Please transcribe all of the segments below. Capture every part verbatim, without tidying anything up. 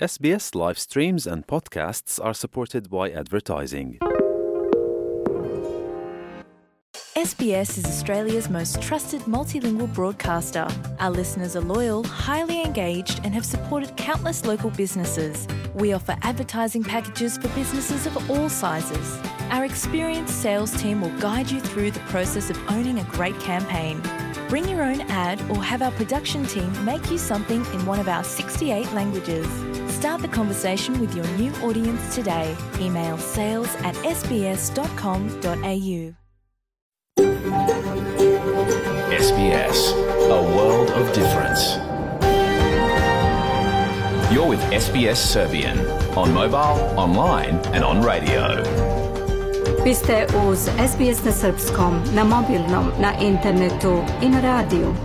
S B S live streams and podcasts are supported by advertising. S B S is Australia's most trusted multilingual broadcaster. Our listeners are loyal, highly engaged, and have supported countless local businesses. We offer advertising packages for businesses of all sizes. Our experienced sales team will guide you through the process of owning a great campaign. Bring your own ad or have our production team make you something in one of our sixty-eight languages. Start the conversation with your new audience today. Email sales at s b s dot com dot a u. S B S, a world of difference. You're with S B S Serbian on mobile, online and on radio. Vi ste uz S B S na srpskom, na mobilnom, na internetu i na radiju.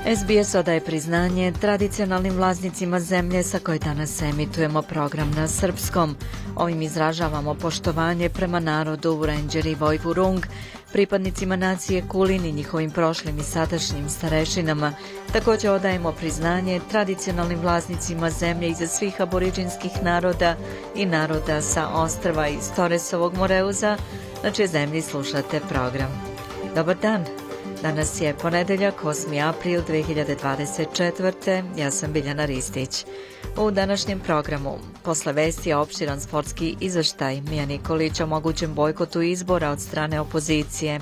S B S odaje priznanje tradicionalnim vlasnicima zemlje sa koje danas emitujemo program na srpskom. Ovim izražavamo poštovanje prema narodu Wurundjeri i Woiwurrung, pripadnicima nacije Kulin i njihovim prošlim i sadašnjim starešinama. Također odajemo priznanje tradicionalnim vlasnicima zemlje iza svih aboriđinskih naroda i naroda sa ostrva iz Torresovog Moreuza, na čijoj zemlji slušate program. Dobar dan! Danas je ponedeljak, osmi april dve hiljade dvadeset četvrte. Ja sam Biljana Ristić. U današnjem programu, posle vesti je opširan sportski izveštaj Mija Nikolić o mogućem bojkotu izbora od strane opozicije.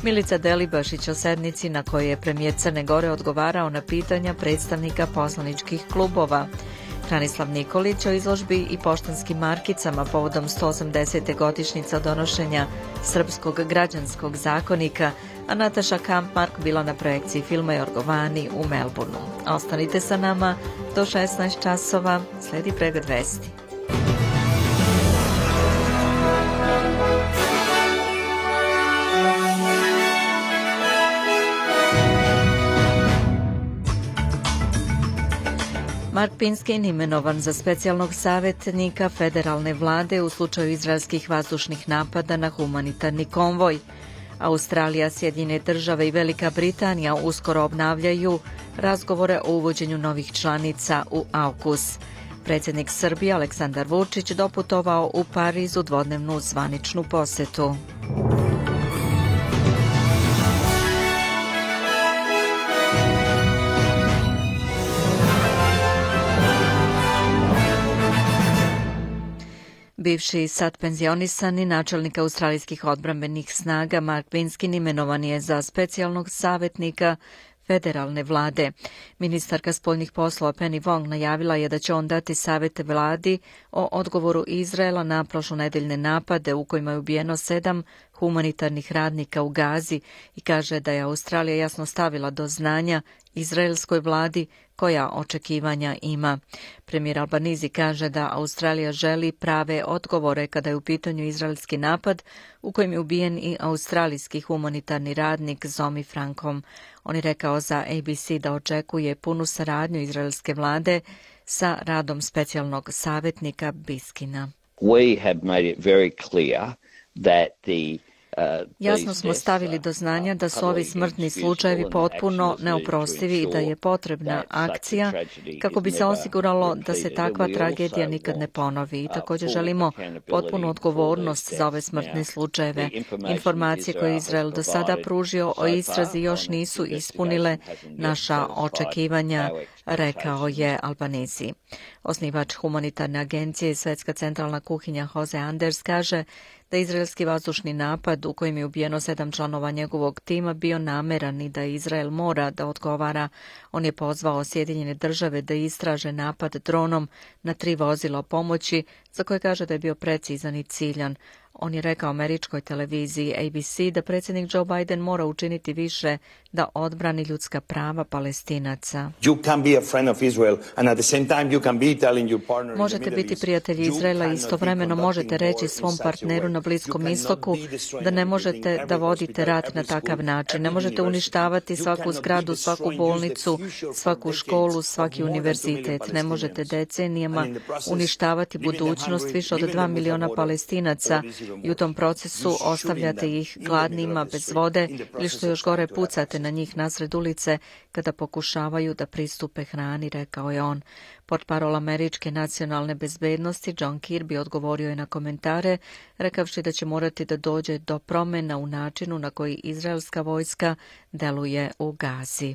Milica Delibašić o sednici na kojoj je premijer Crne Gore odgovarao na pitanja predstavnika poslaničkih klubova. Hranislav Nikolić o izložbi i poštanskim markicama povodom sto osamdesete godišnjica donošenja Srpskog građanskog zakonika, a Nataša Kampmark bila na projekciji filma Jorgovani u Melbourneu. Ostanite sa nama do šesnaest časova, sledi pregled vesti. Mark Pinskin imenovan za specijalnog savjetnika federalne vlade u slučaju izraelskih vazdušnih napada na humanitarni konvoj. Australija, Sjedinjene države i Velika Britanija uskoro obnavljaju razgovore o uvođenju novih članica u AUKUS. Predsjednik Srbije Aleksandar Vučić doputovao u Pariz u dvodnevnu zvaničnu posetu. Bivši sad penzionisani načelnik australijskih odbrambenih snaga Mark Pinskin imenovan je za specijalnog savjetnika federalne vlade. Ministarka spoljnih poslova Penny Wong najavila je da će on dati savjete vladi o odgovoru Izraela na prošlonedeljne napade u kojima je ubijeno sedam humanitarnih radnika u Gazi i kaže da je Australija jasno stavila do znanja izraelskoj vladi koja očekivanja ima. Premijer Albanizi kaže da Australija želi prave odgovore kada je u pitanju izraelski napad u kojem je ubijen i australijski humanitarni radnik Zomi Frankom. On je rekao za A B C da očekuje punu saradnju izraelske vlade sa radom specijalnog savjetnika Biskina. We have made it very clear that the Jasno smo stavili do znanja da su ovi smrtni slučajevi potpuno neoprostivi i da je potrebna akcija kako bi se osiguralo da se takva tragedija nikad ne ponovi. I također želimo potpunu odgovornost za ove smrtne slučajeve. Informacije koje je Izrael do sada pružio o istrazi još nisu ispunile naša očekivanja, rekao je Albanizi. Osnivač humanitarne agencije i Svetska centralna kuhinja Jose Anders kaže da izraelski vazdušni napad u kojem je ubijeno sedam članova njegovog tima bio nameran i da Izrael mora da odgovara. On je pozvao Sjedinjene države da istraže napad dronom na tri vozila pomoći za koje kaže da je bio precizan i ciljan. On je rekao američkoj televiziji A B C da predsjednik Joe Biden mora učiniti više da odbrani ljudska prava Palestinaca. Možete biti prijatelji Izraela i istovremeno možete reći svom partneru na Bliskom istoku da ne možete da vodite rat na takav način. Ne možete uništavati svaku zgradu, svaku bolnicu, svaku školu, svaki univerzitet. Ne možete decenijama uništavati budućnost više od dva miliona Palestinaca i u tom procesu ostavljate ih gladnima, bez vode ili što još gore pucate na njih nasred ulice kada pokušavaju da pristupe hrani, rekao je on. Portparol američke nacionalne bezbednosti John Kirby odgovorio je na komentare, rekavši da će morati da dođe do promjena u načinu na koji izraelska vojska deluje u Gazi.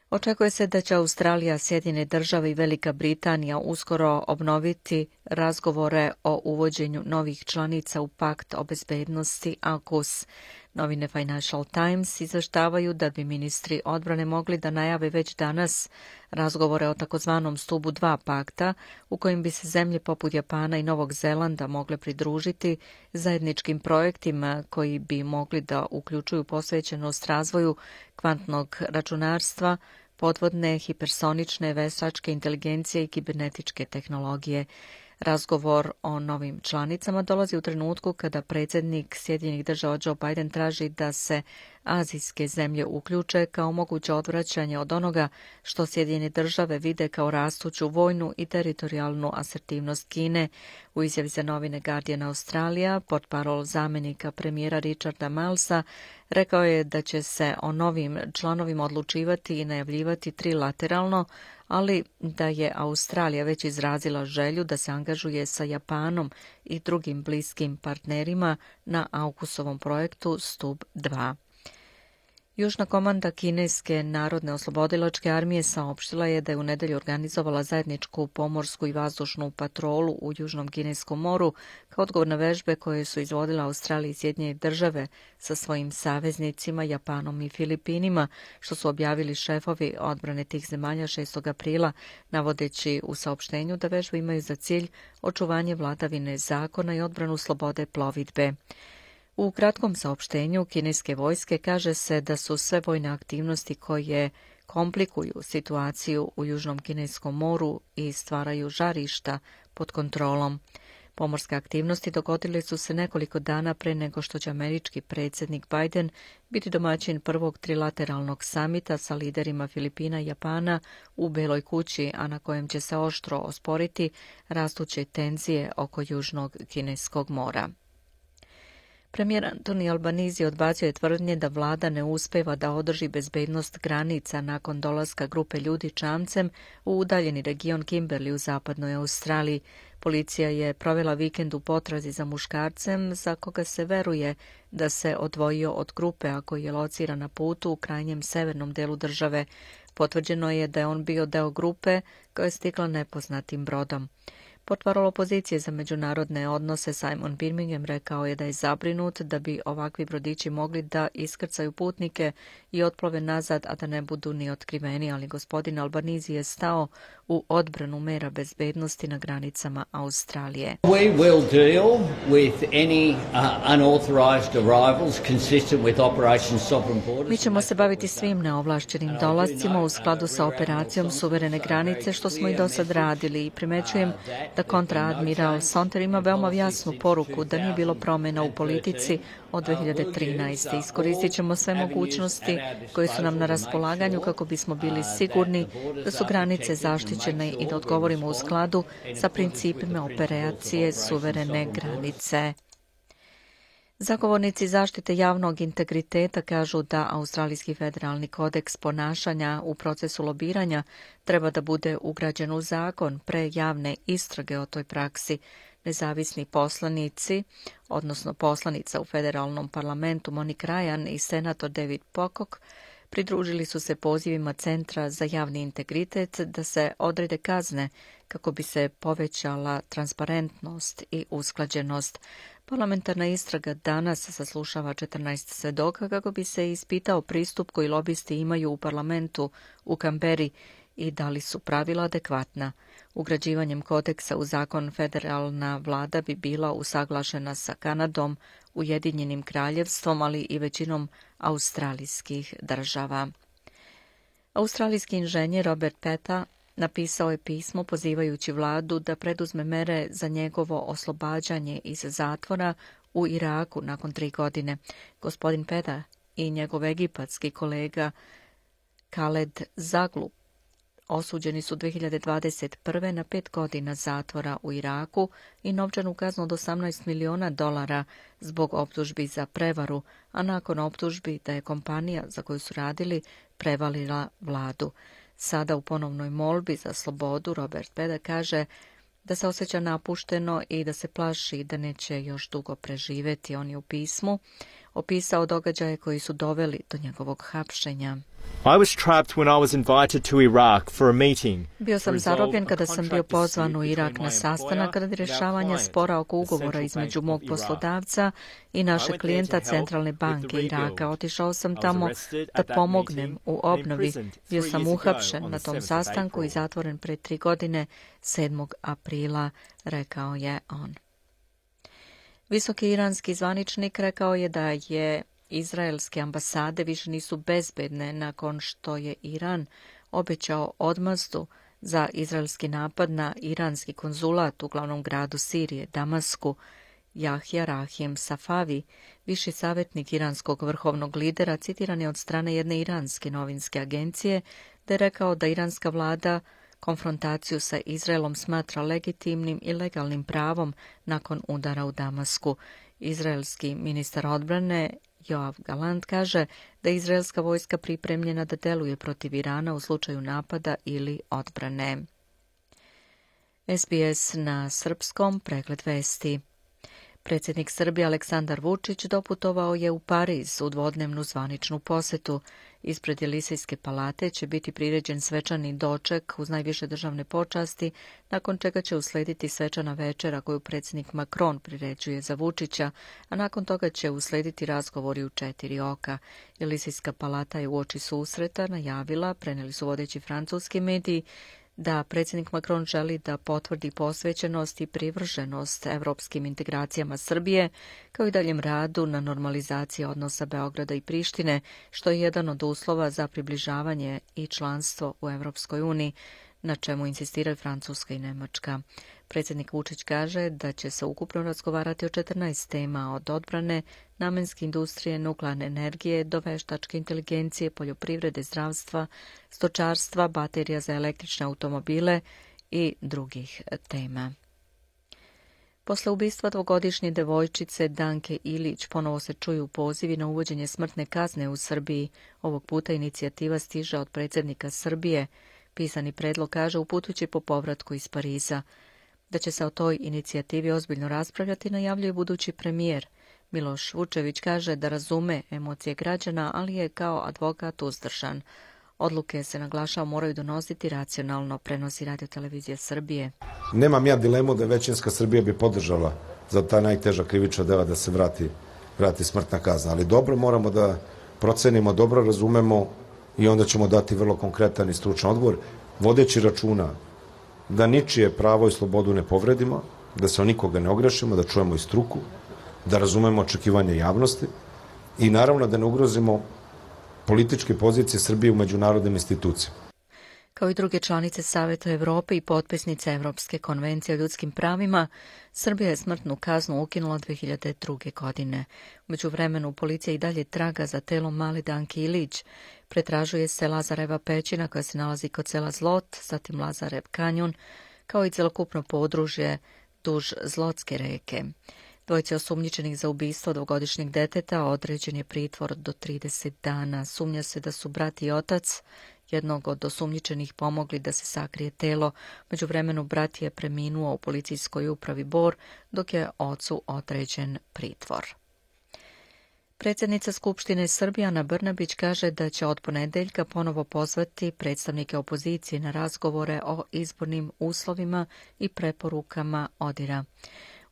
Očekuje se da će Australija, Sjedinjene države i Velika Britanija uskoro obnoviti razgovore o uvođenju novih članica u pakt o bezbednosti AUKUS. Novine Financial Times izveštavaju da bi ministri odbrane mogli da najave već danas razgovore o takozvanom stubu dva pakta, u kojim bi se zemlje poput Japana i Novog Zelanda mogle pridružiti zajedničkim projektima koji bi mogli da uključuju posvećenost razvoju kvantnog računarstva, podvodne, hipersonične, veštačke inteligencije i kibernetičke tehnologije. Razgovor o novim članicama dolazi u trenutku kada predsjednik Sjedinjenih država Joe Biden traži da se azijske zemlje uključe kao moguće odvraćanje od onoga što Sjedinjene države vide kao rastuću vojnu i teritorijalnu asertivnost Kine. U izjavi za novine Guardian Australija, portparol zamjenika premijera Richarda Milesa rekao je da će se o novim članovima odlučivati i najavljivati trilateralno, ali da je Australija već izrazila želju da se angažuje sa Japanom i drugim bliskim partnerima na AUKUS-ovom projektu Stub dva. Južna komanda Kineske narodne oslobodilačke armije saopštila je da je u nedelju organizovala zajedničku pomorsku i vazdušnu patrolu u Južnom Kineskom moru kao odgovor na vežbe koje su izvodila Australija i Sjedinjene države sa svojim saveznicima Japanom i Filipinima, što su objavili šefovi odbrane tih zemalja šestog aprila, navodeći u saopštenju da vežbe imaju za cilj očuvanje vladavine zakona i odbranu slobode plovidbe. U kratkom saopštenju kineske vojske kaže se da su sve vojne aktivnosti koje komplikuju situaciju u Južnom Kineskom moru i stvaraju žarišta pod kontrolom. Pomorske aktivnosti dogodile su se nekoliko dana pre nego što će američki predsjednik Biden biti domaćin prvog trilateralnog samita sa liderima Filipina i Japana u Beloj kući, a na kojem će se oštro osporiti rastuće tenzije oko Južnog Kineskog mora. Premijer Anthony Albanese odbacio je tvrdnje da vlada ne uspeva da održi bezbednost granica nakon dolaska grupe ljudi čamcem u udaljeni region Kimberley u zapadnoj Australiji. Policija je provela vikend u potrazi za muškarcem za koga se veruje da se odvojio od grupe, a koji je lociran na putu u krajnjem severnom delu države. Potvrđeno je da je on bio deo grupe koja je stigla nepoznatim brodom. Portparol opozicije za međunarodne odnose Simon Birmingham rekao je da je zabrinut da bi ovakvi brodići mogli da iskrcaju putnike i otplove nazad, a da ne budu ni otkriveni, ali gospodin Albanese je stao u odbranu mera bezbednosti na granicama Australije. We will deal with any uh, unauthorized arrivals consistent with Operation Sovereign Borders. Mi ćemo se baviti svim neovlašćenim dolascima u skladu sa operacijom Suverene granice, što smo i do sad radili, i primećujem da kontraadmiral Sonter ima veoma jasnu poruku da nije bilo promjena u politici od dve hiljade trinaeste. Iskoristit ćemo sve mogućnosti koje su nam na raspolaganju kako bismo bili sigurni da su granice zaštićene i da odgovorimo u skladu sa principima operacije Suverene granice. Zagovornici zaštite javnog integriteta kažu da Australijski federalni kodeks ponašanja u procesu lobiranja treba da bude ugrađen u zakon pre javne istrage o toj praksi. Nezavisni poslanici, odnosno poslanica u federalnom parlamentu Monique Ryan i senator David Pocock, pridružili su se pozivima Centra za javni integritet da se odrede kazne kako bi se povećala transparentnost i usklađenost. Parlamentarna istraga danas saslušava četrnaest svedoka kako bi se ispitao pristup koji lobisti imaju u parlamentu u Kamberi i da li su pravila adekvatna. Ugrađivanjem kodeksa u zakon federalna vlada bi bila usaglašena sa Kanadom, Ujedinjenim kraljevstvom, ali i većinom australijskih država. Australijski inženjer Robert Peta napisao je pismo pozivajući vladu da preduzme mere za njegovo oslobađanje iz zatvora u Iraku nakon tri godine. Gospodin Peta i njegov egipatski kolega Khaled Zaglu osuđeni su dve hiljade dvadeset prve. na pet godina zatvora u Iraku i novčanu kaznu od osamnaest miliona dolara zbog optužbi za prevaru, a nakon optužbi da je kompanija za koju su radili prevalila vladu. Sada u ponovnoj molbi za slobodu Robert Beda kaže da se osjeća napušteno i da se plaši da neće još dugo preživeti. On je u pismu opisao događaje koji su doveli do njegovog hapšenja. I was trapped when I was invited to Iraq for a meeting. Bio sam zarobljen kada sam bio pozvan u Irak na sastanak radi rješavanja spora oko ugovora između mog poslodavca i našeg klijenta Centralne banke Iraka. Otišao sam tamo da pomognem u obnovi. Bio sam uhapšen na tom sastanku i zatvoren pre tri godine, sedmog aprila, rekao je on. Visoki iranski zvaničnik rekao je da je izraelske ambasade više nisu bezbedne nakon što je Iran obećao odmazdu za izraelski napad na iranski konzulat u glavnom gradu Sirije, Damasku. Jahja Rahim Safavi, viši savjetnik iranskog vrhovnog lidera, citiran je od strane jedne iranske novinske agencije, da je rekao da iranska vlada konfrontaciju sa Izraelom smatra legitimnim i legalnim pravom nakon udara u Damasku. Izraelski ministar odbrane Joav Galant kaže da je izraelska vojska pripremljena da deluje protiv Irana u slučaju napada ili odbrane. S B S na srpskom, pregled vesti. Predsjednik Srbije Aleksandar Vučić doputovao je u Pariz u dvodnevnu zvaničnu posetu. Ispred Jelisejske palate će biti priređen svečani doček uz najviše državne počasti, nakon čega će uslediti svečana večera koju predsjednik Macron priređuje za Vučića, a nakon toga će uslediti razgovori u četiri oka. Jelisejska palata je uoči susreta najavila, preneli su vodeći francuski mediji, da predsjednik Macron želi da potvrdi posvećenost i privrženost evropskim integracijama Srbije, kao i daljem radu na normalizaciji odnosa Beograda i Prištine, što je jedan od uslova za približavanje i članstvo u Evropskoj uniji, na čemu insistiraju Francuska i Nemačka. Predsjednik Vučić kaže da će se ukupno razgovarati o četrnaest tema, od odbrane, namenske industrije, nuklearne energije, do veštačke inteligencije, poljoprivrede, zdravstva, stočarstva, baterija za električne automobile i drugih tema. Posle ubistva dvogodišnje devojčice Danke Ilić ponovo se čuju pozivi na uvođenje smrtne kazne u Srbiji. Ovog puta inicijativa stiže od predsjednika Srbije. Pisani predlog kaže uputujući po povratku iz Pariza. Da će se o toj inicijativi ozbiljno raspravljati, najavljuje budući premijer. Miloš Vučević kaže da razume emocije građana, ali je kao advokat uzdržan. Odluke, se naglašava, moraju donositi racionalno, prenosi Radio-televizija Srbije. Nemam ja dilemu da većinska Srbija bi podržala za ta najteža krivična dela da se vrati, vrati smrtna kazna. Ali dobro moramo da procenimo, dobro razumemo i onda ćemo dati vrlo konkretan i stručan odgovor, vodeći računa da ničije pravo i slobodu ne povredimo, da se o nikoga ne ogrešimo, da čujemo i struku, da razumemo očekivanje javnosti i naravno da ne ugrozimo političke pozicije Srbije u međunarodnim institucijama. Kao i druge članice Saveta Evrope i potpisnice Evropske konvencije o ljudskim pravima, Srbija je smrtnu kaznu ukinula dve hiljade druge. godine. U međuvremenu policija i dalje traga za telom male Danke Ilić. Pretražuje se Lazareva pećina koja se nalazi kod sela Zlot, zatim Lazarev kanjon, kao i celokupno podružje duž Zlotske reke. Dvojice osumnjičenih za ubistvo dvogodišnjeg deteta određen je pritvor do trideset dana. Sumnja se da su brat i otac jednog od osumnjičenih pomogli da se sakrije telo. Međuvremenu brat je preminuo u policijskoj upravi Bor, dok je ocu određen pritvor. Predsjednica Skupštine Srbije Ana Brnabić kaže da će od ponedeljka ponovo pozvati predstavnike opozicije na razgovore o izbornim uslovima i preporukama ODIR-a.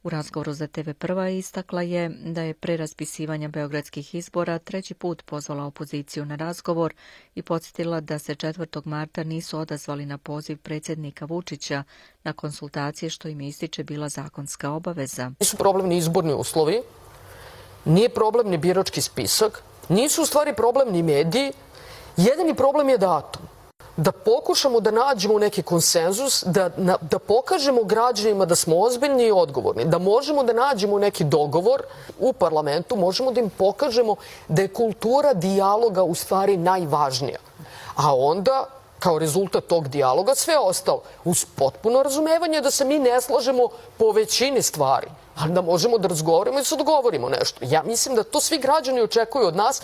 U razgovoru za T V Prva istakla je da je pre raspisivanja beogradskih izbora treći put pozvala opoziciju na razgovor i podsjetila da se četvrtog marta nisu odazvali na poziv predsjednika Vučića na konsultacije, što im ističe bila zakonska obaveza. Nisu problem ni izborni uslovi, nije problem ni birački spisak, nisu u stvari problem ni mediji, jedini problem je datum. Da pokušamo da nađemo neki konsenzus, da, na, da pokažemo građanima da smo ozbiljni i odgovorni, da možemo da nađemo neki dogovor u parlamentu, možemo da im pokažemo da je kultura dijaloga u stvari najvažnija. A onda, kao rezultat tog dijaloga sve ostalo. Uz potpuno razumevanje da se mi ne slažemo po većini stvari, ali da možemo da razgovaramo i da se dogovorimo nešto. Ja mislim da to svi građani očekuju od nas.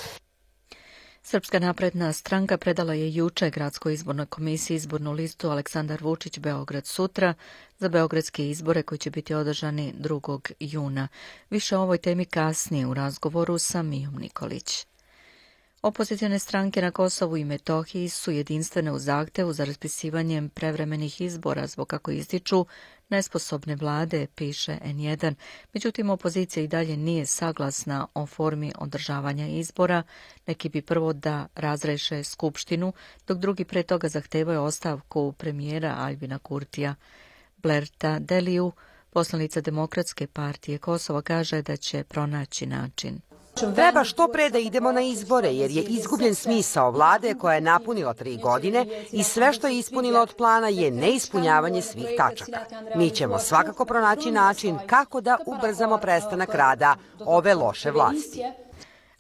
Srpska napredna stranka predala je juče Gradskoj izbornoj komisiji izbornu listu Aleksandar Vučić Beograd sutra za beogradske izbore koji će biti održani drugog juna. Više o ovoj temi kasnije u razgovoru sa Mijom Nikolić. Opozicione stranke na Kosovu i Metohiji su jedinstvene u zahtevu za raspisivanjem prevremenih izbora zbog, kako ističu, nesposobne vlade, piše en jedan. Međutim, opozicija i dalje nije saglasna o formi održavanja izbora. Neki bi prvo da razreše Skupštinu, dok drugi pre toga zahtevaju ostavku premijera Aljbina Kurtija. Blerta Deliju, poslanica Demokratske partije Kosova, kaže da će pronaći način. Treba što pre da idemo na izbore, jer je izgubljen smisao vlade koja je napunila tri godine i sve što je ispunila od plana je neispunjavanje svih tačaka. Mi ćemo svakako pronaći način kako da ubrzamo prestanak rada ove loše vlasti.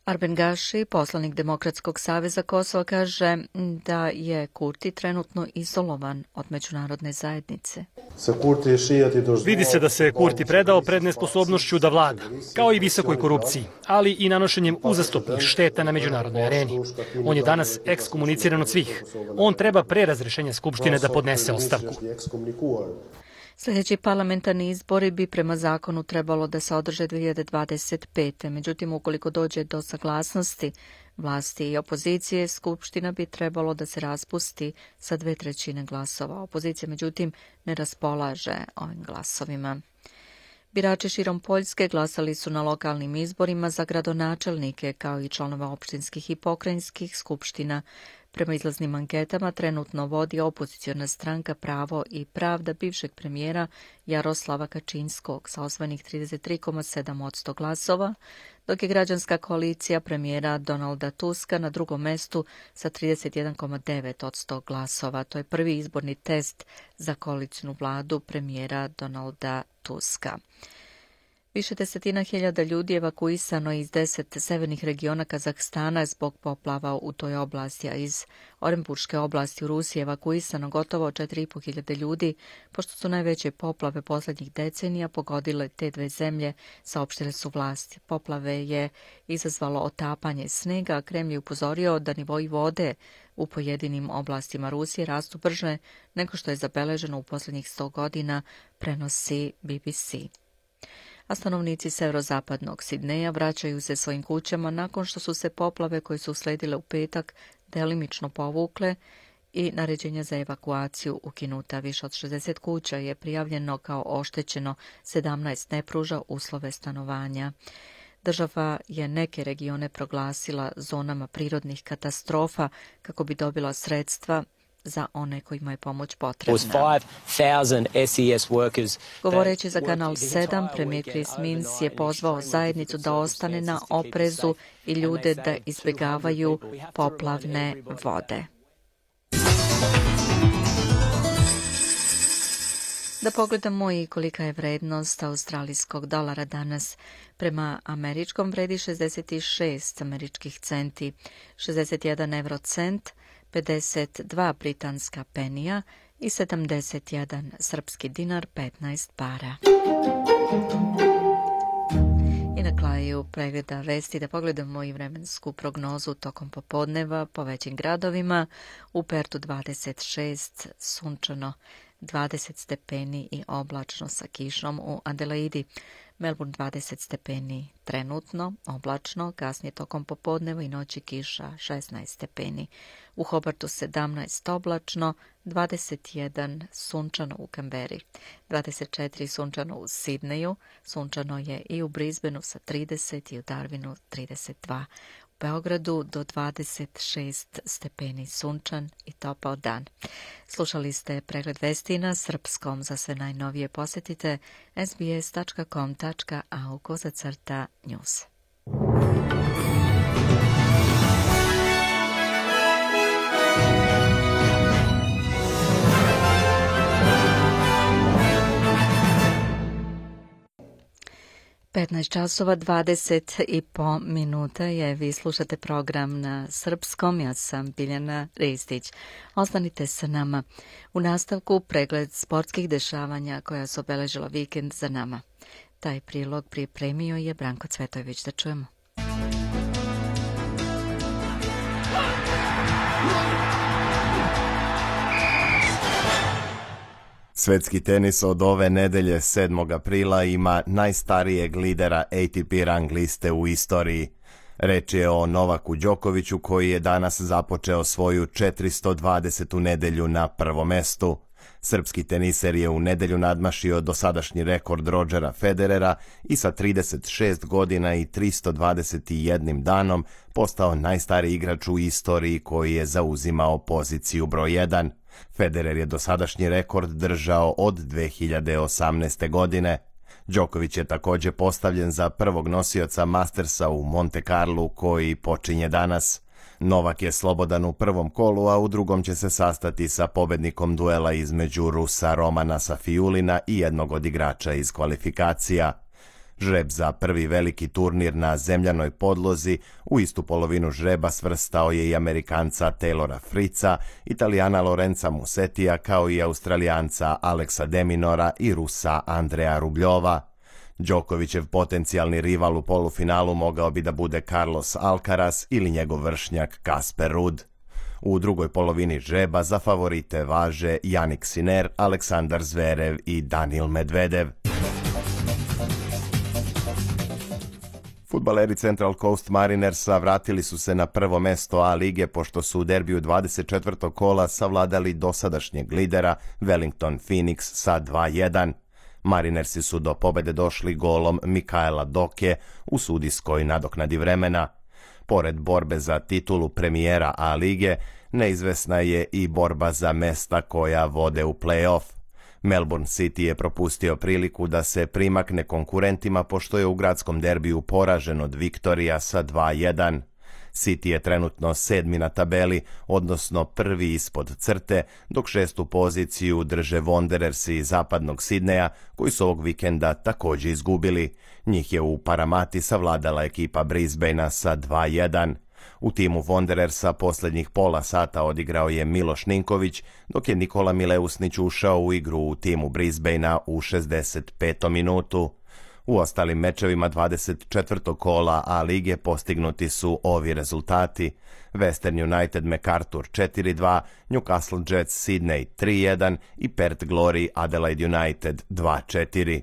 Arben Gaši, poslanik Demokratskog saveza Kosova, kaže da je Kurti trenutno izolovan od međunarodne zajednice. Vidi se da se Kurti predao pred nesposobnošću da vlada, kao i visokoj korupciji, ali i nanošenjem uzastopnih šteta na međunarodnoj areni. On je danas ekskomuniciran od svih. On treba pre razrešenja Skupštine da podnese ostavku. Sljedeći parlamentarni izbori bi prema zakonu trebalo da se održe dve hiljade dvadeset pete. Međutim, ukoliko dođe do saglasnosti vlasti i opozicije, Skupština bi trebalo da se raspusti sa dve trećine glasova. Opozicija, međutim, ne raspolaže ovim glasovima. Birači širom Poljske glasali su na lokalnim izborima za gradonačelnike, kao i članove opštinskih i pokrajinskih skupština. Prema izlaznim anketama trenutno vodi opoziciona stranka Pravo i pravda bivšeg premijera Jaroslava Kačinskog sa osvojenih trideset tri zarez sedam posto glasova, dok je građanska koalicija premijera Donalda Tuska na drugom mestu sa trideset jedan zarez devet posto glasova. To je prvi izborni test za koalicijnu vladu premijera Donalda Tuska. Više desetina hiljada ljudi evakuisano iz deset severnih regiona Kazahstana zbog poplava u toj oblasti, a iz Orenburške oblasti u Rusiji evakuisano gotovo četiri i po hiljade ljudi, pošto su najveće poplave poslednjih decenija pogodile te dve zemlje, saopštile su vlasti. Poplave je izazvalo otapanje snega, a Kremlj je upozorio da nivoji vode u pojedinim oblastima Rusije rastu brže nego što je zabeleženo u poslednjih sto godina, prenosi B B C. A stanovnici severozapadnog Sidneja vraćaju se svojim kućama nakon što su se poplave koje su usledile u petak delimično povukle i naređenja za evakuaciju ukinuta. Više od šezdeset kuća je prijavljeno kao oštećeno, sedamnaest ne pruža uslove stanovanja. Država je neke regione proglasila zonama prirodnih katastrofa kako bi dobila sredstva za one kojima je pomoć potrebna. Govoreći za Kanal sedam, premijer Chris Minns je pozvao zajednicu da ostane na oprezu i ljude da izbjegavaju poplavne vode. Da pogledamo i kolika je vrednost australijskog dolara danas. Prema američkom vredi šezdeset šest američkih centi, šezdeset jedan eurocent, pedeset dva britanska penija i sedamdeset jedan srpski dinar, petnaest para. I na kraju pregleda vesti da pogledamo i vremensku prognozu tokom popodneva po većim gradovima. U Pertu dvadeset šest, sunčano, dvadeset stepeni i oblačno sa kišom u Adelaidi. Melbourne dvadeset stepeni trenutno, oblačno, kasnije tokom popodneva i noći kiša šesnaest stepeni. U Hobartu sedamnaest oblačno, dvadeset jedan sunčano u Kamberi, dvadeset četiri sunčano u Sidneju, sunčano je i u Brisbaneu sa trideset i u Darwinu trideset dva. U Beogradu do dvadeset šest stepeni sunčan i topao dan. Slušali ste pregled vesti na srpskom. Za sve najnovije posjetite s b s tačka com tačka a u kozacrta news. petnaest časova dvadeset i po minuta je. Vi slušate program na srpskom. Ja sam Biljana Ristić. Ostanite sa nama. U nastavku pregled sportskih dešavanja koja su obeležila vikend za nama. Taj prilog pripremio je Branko Cvetojević. Da čujemo. Svetski tenis od ove nedelje sedmog aprila ima najstarijeg lidera A T P rang liste u istoriji. Reč je o Novaku Đokoviću koji je danas započeo svoju četiristo dvadesetu nedelju na prvom mestu. Srpski teniser je u nedelju nadmašio dosadašnji rekord Rodgera Federera i sa trideset šest godina i tristo dvadeset jednim danom postao najstariji igrač u istoriji koji je zauzimao poziciju broj jedan. Federer je dosadašnji rekord držao od dve hiljade osamnaeste. godine. Đoković je također postavljen za prvog nosioca Mastersa u Monte Carlu koji počinje danas. Novak je slobodan u prvom kolu, a u drugom će se sastati sa pobednikom duela između Rusa Romana Safiulina i jednog od igrača iz kvalifikacija. Žreb za prvi veliki turnir na zemljanoj podlozi u istu polovinu žreba svrstao je i Amerikanca Taylora Fritza, Italijana Lorenza Musetija kao i Australijanca Alexa Deminora i Rusa Andreja Rubljova. Đokovićev potencijalni rival u polufinalu mogao bi da bude Carlos Alcaraz ili njegov vršnjak Casper Ruud. U drugoj polovini žreba za favorite važe Jannik Sinner, Aleksandar Zverev i Danil Medvedev. Fudbaleri Central Coast Marinersa vratili su se na prvo mesto A lige pošto su u derbiju dvadeset četvrtog kola savladali dosadašnjeg lidera Wellington Phoenix sa dva jedan. Marinersi su do pobede došli golom Mikaela Doke u sudijskoj nadoknadi vremena. Pored borbe za titulu premijera A lige, neizvesna je i borba za mesta koja vode u play-off. Melbourne City je propustio priliku da se primakne konkurentima pošto je u gradskom derbiju poražen od Viktorija sa dva jedan. City je trenutno sedmi na tabeli, odnosno prvi ispod crte, dok šestu poziciju drže Wanderersi iz zapadnog Sidneja, koji su ovog vikenda također izgubili. Njih je u Paramati savladala ekipa Brisbanea sa dva jedan. U timu Wanderersa posljednjih pola sata odigrao je Miloš Ninković, dok je Nikola Mileusnić ušao u igru u timu Brisbanea u šezdeset petom minutu. U ostalim mečevima dvadeset četvrtog kola A lige postignuti su ovi rezultati: Western United MacArthur četiri dva, Newcastle Jets Sydney tri jedan i Perth Glory Adelaide United dva četiri.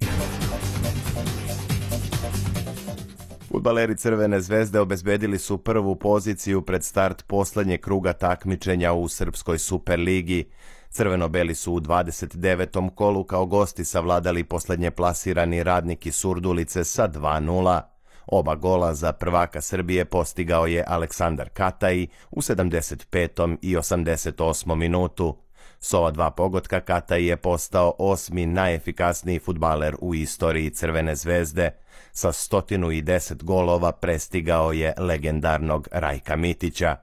Fudbaleri Crvene zvezde obezbedili su prvu poziciju pred start posljednjeg kruga takmičenja u Srpskoj Superligi. Crveno-beli su u dvadeset devetom kolu kao gosti savladali posljednje plasirani Radnik iz Surdulice sa dva nula. Oba gola za prvaka Srbije postigao je Aleksandar Kataji u sedamdeset petom i osamdeset osmom minutu. S ova dva pogotka Kataji je postao osmi najefikasniji fudbaler u istoriji Crvene zvezde. Sa stotinu i deset golova prestigao je legendarnog Rajka Mitića.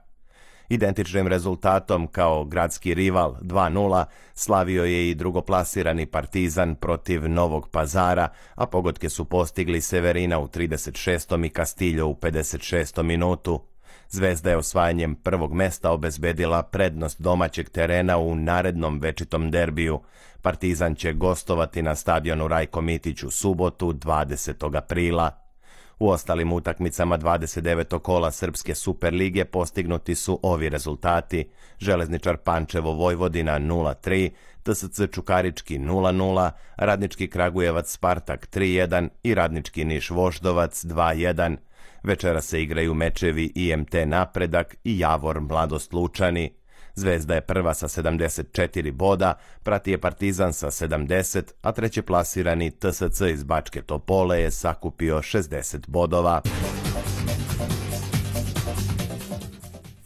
Identičnim rezultatom kao gradski rival dva nula slavio je i drugoplasirani Partizan protiv Novog Pazara, a pogodke su postigli Severina u trideset šestom i Castillo u pedeset šestom minutu. Zvezda je osvajanjem prvog mesta obezbedila prednost domaćeg terena u narednom večitom derbiju. Partizan će gostovati na stadionu Rajko Mitić u subotu dvadesetog aprila. U ostalim utakmicama dvadeset devetog kola Srpske Superlige postignuti su ovi rezultati: Železničar Pančevo Vojvodina nula tri, T S C Čukarički nula nula, Radnički Kragujevac Spartak tri jedan i Radnički Niš Voždovac dva jedan. Večera se igraju mečevi I M T Napredak i Javor Mladost Lučani. Zvezda je prva sa sedamdeset četiri boda, prati je Partizan sa sedamdeset, a treće plasirani T S C iz Bačke Topole je sakupio šezdeset bodova.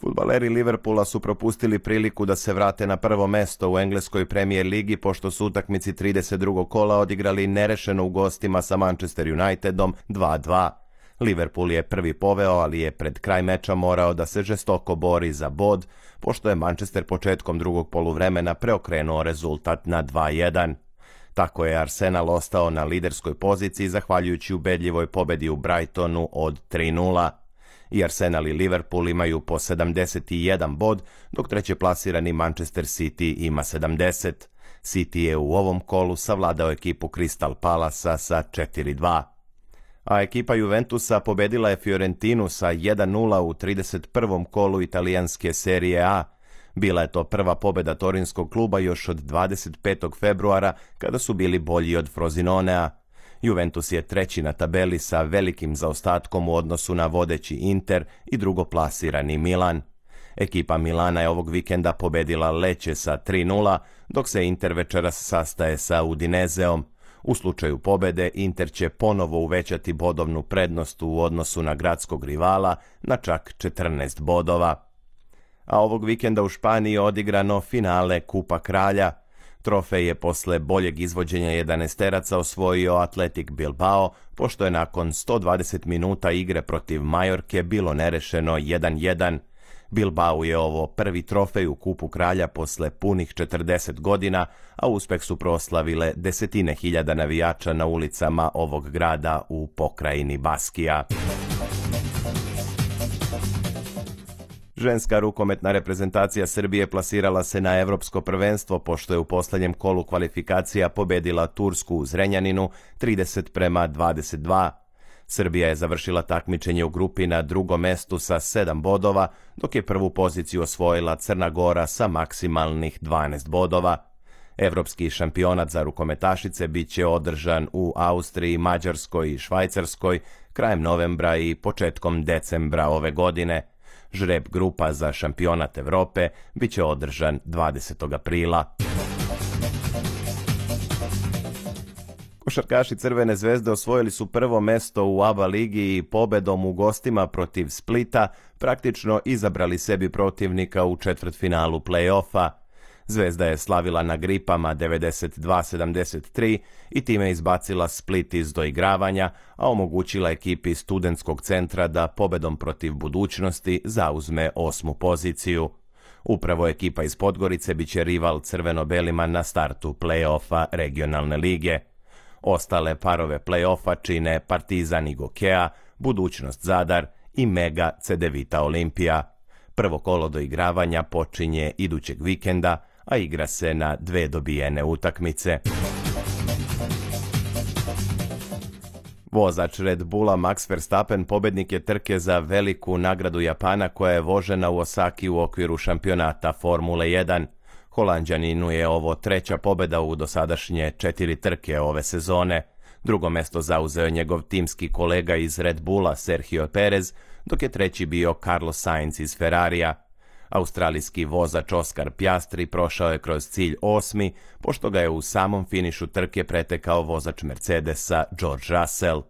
Fudbaleri Liverpoola su propustili priliku da se vrate na prvo mesto u engleskoj Premier ligi pošto su utakmici trideset drugog kola odigrali nerešeno u gostima sa Manchester Unitedom dva dva. Liverpool je prvi poveo, ali je pred kraj meča morao da se žestoko bori za bod, pošto je Manchester početkom drugog poluvremena preokrenuo rezultat na dva jedan. Tako je Arsenal ostao na liderskoj poziciji zahvaljujući ubedljivoj pobedi u Brightonu od tri nula. I Arsenal i Liverpool imaju po sedamdeset jedan bod, dok treće plasirani Manchester City ima sedamdeset. City je u ovom kolu savladao ekipu Crystal Palasa sa četiri dva. A ekipa Juventusa pobedila je Fiorentinu sa jedan nula u trideset prvom kolu italijanske serije A. Bila je to prva pobeda torinskog kluba još od dvadeset petog februara kada su bili bolji od Frosinonea. Juventus je treći na tabeli sa velikim zaostatkom u odnosu na vodeći Inter i drugoplasirani Milan. Ekipa Milana je ovog vikenda pobedila Lecce sa tri nula, dok se Inter večeras sastaje sa Udinezeom. U slučaju pobede Inter će ponovo uvećati bodovnu prednost u odnosu na gradskog rivala na čak četrnaest bodova. A ovog vikenda u Španiji je odigrano finale Kupa Kralja. Trofej je posle boljeg izvođenja jedanaesteraca osvojio Athletic Bilbao, pošto je nakon sto dvadeset minuta igre protiv Majorke bilo nerešeno jedan jedan. Bilbao je ovo prvi trofej u Kupu Kralja posle punih četrdeset godina, a uspeh su proslavile desetine hiljada navijača na ulicama ovog grada u pokrajini Baskija. Ženska rukometna reprezentacija Srbije plasirala se na evropsko prvenstvo pošto je u poslednjem kolu kvalifikacija pobedila Tursku u Zrenjaninu trideset prema dvadeset dva. Srbija je završila takmičenje u grupi na drugom mestu sa sedam bodova, dok je prvu poziciju osvojila Crna Gora sa maksimalnih dvanaest bodova. Evropski šampionat za rukometašice bit će održan u Austriji, Mađarskoj i Švajcarskoj krajem novembra i početkom decembra ove godine. Žreb grupa za šampionat Evrope bit će održan dvadesetog aprila. Košarkaši Crvene zvezde osvojili su prvo mesto u A B A ligi i pobedom u gostima protiv Splita praktično izabrali sebi protivnika u četvrtfinalu play-offa. Zvezda je slavila na gripama devedeset dva sedamdeset tri i time izbacila Split iz doigravanja, a omogućila ekipi studentskog centra da pobedom protiv Budućnosti zauzme osmu poziciju. Upravo ekipa iz Podgorice biće rival crveno-belima na startu play-offa regionalne lige. Ostale parove play-offa čine Partizan i Gokea, Budućnost Zadar i Mega Cedevita Olimpija. Prvo kolo doigravanja počinje idućeg vikenda, a igra se na dve dobijene utakmice. Vozač Red Bulla Max Verstappen pobednik je trke za veliku nagradu Japana koja je vožena u Osaki u okviru šampionata Formule jedan. Holanđaninu je ovo treća pobeda u dosadašnje četiri trke ove sezone. Drugo mesto zauzeo je njegov timski kolega iz Red Bulla Sergio Perez, dok je treći bio Carlos Sainz iz Ferrarija. Australijski vozač Oscar Piastri prošao je kroz cilj osmi, pošto ga je u samom finišu trke pretekao vozač Mercedesa George Russell.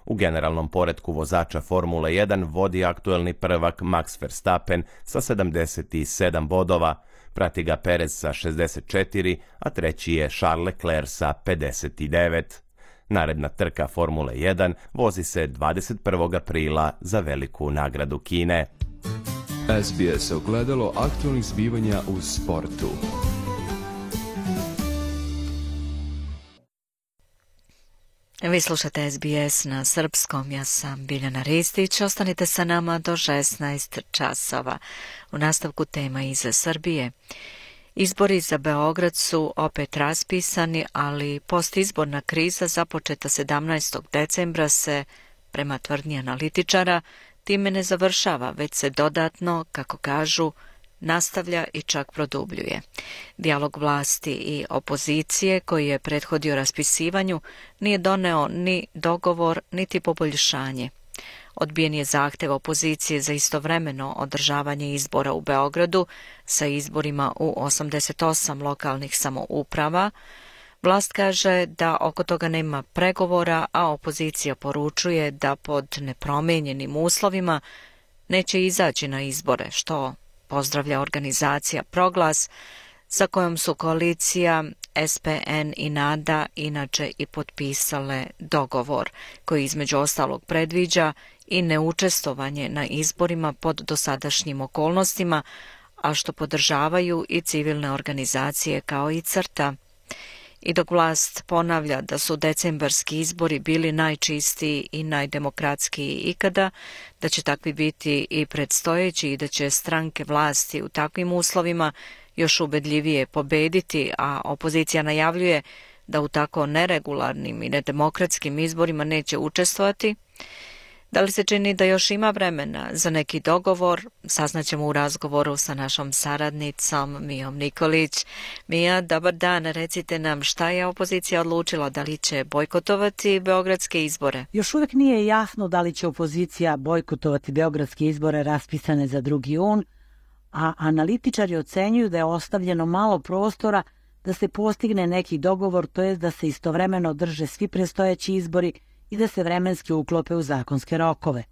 U generalnom poretku vozača Formule jedan vodi aktuelni prvak Max Verstappen sa sedamdeset sedam bodova, prati ga Perez sa šezdeset četiri, a treći je Charles Leclerc sa pedeset devet. Naredna trka Formule jedan vozi se dvadeset prvog aprila za veliku nagradu Kine. S B S ogledalo aktualnih zbivanja u sportu. Vi slušate S B S na srpskom, ja sam Biljana Ristić, ostanite sa nama do šesnaest časova. U nastavku tema iz Srbije. Izbori za Beograd su opet raspisani, ali postizborna kriza započeta sedamnaestog decembra se, prema tvrdnji analitičara, time ne završava, već se dodatno, kako kažu, nastavlja i čak produbljuje. Dijalog vlasti i opozicije koji je prethodio raspisivanju nije doneo ni dogovor, niti poboljšanje. Odbijen je zahtev opozicije za istovremeno održavanje izbora u Beogradu sa izborima u osamdeset osam lokalnih samouprava. Vlast kaže da oko toga nema pregovora, a opozicija poručuje da pod nepromenjenim uslovima neće izaći na izbore, što pozdravlja organizacija Proglas, sa kojom su koalicija S P N i NADA inače i potpisale dogovor, koji između ostalog predviđa i neučestvovanje na izborima pod dosadašnjim okolnostima, a što podržavaju i civilne organizacije kao i CRTA. I dok vlast ponavlja da su decembarski izbori bili najčistiji i najdemokratskiji ikada, da će takvi biti i predstojeći i da će stranke vlasti u takvim uslovima još ubedljivije pobediti, a opozicija najavljuje da u tako neregularnim i nedemokratskim izborima neće učestvovati, da li se čini da još ima vremena za neki dogovor? Saznaćemo u razgovoru sa našom saradnicom Mijom Nikolić. Mija, dobar dan, recite nam šta je opozicija odlučila, da li će bojkotovati beogradske izbore? Još uvijek nije jasno da li će opozicija bojkotovati beogradske izbore raspisane za drugi jun, a analitičari ocenjuju da je ostavljeno malo prostora da se postigne neki dogovor, to jest da se istovremeno održe svi predstojeći izbori i da se vremenski uklope u zakonske rokove.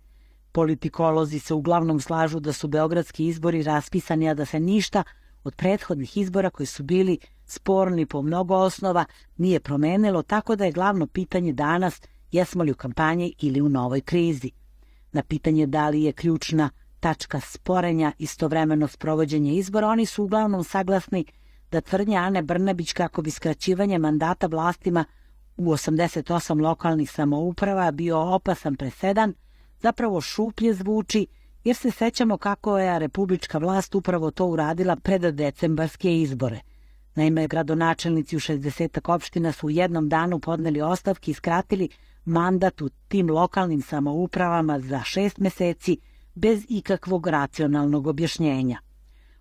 Politikolozi se uglavnom slažu da su beogradski izbori raspisani, a da se ništa od prethodnih izbora koji su bili sporni po mnogo osnova nije promenilo, tako da je glavno pitanje danas jesmo li u kampanji ili u novoj krizi. Na pitanje da li je ključna tačka sporenja istovremeno sprovođenje izbora, oni su uglavnom saglasni da tvrdnja Ane Brnabić kako bi skraćivanje mandata vlastima u osamdeset osam lokalnih samouprava bio opasan presedan, zapravo šuplje zvuči, jer se sećamo kako je republička vlast upravo to uradila pred decembarske izbore. Naime, gradonačelnici u šezdesetak opština su u jednom danu podneli ostavke i skratili mandat u tim lokalnim samoupravama za šest meseci bez ikakvog racionalnog objašnjenja.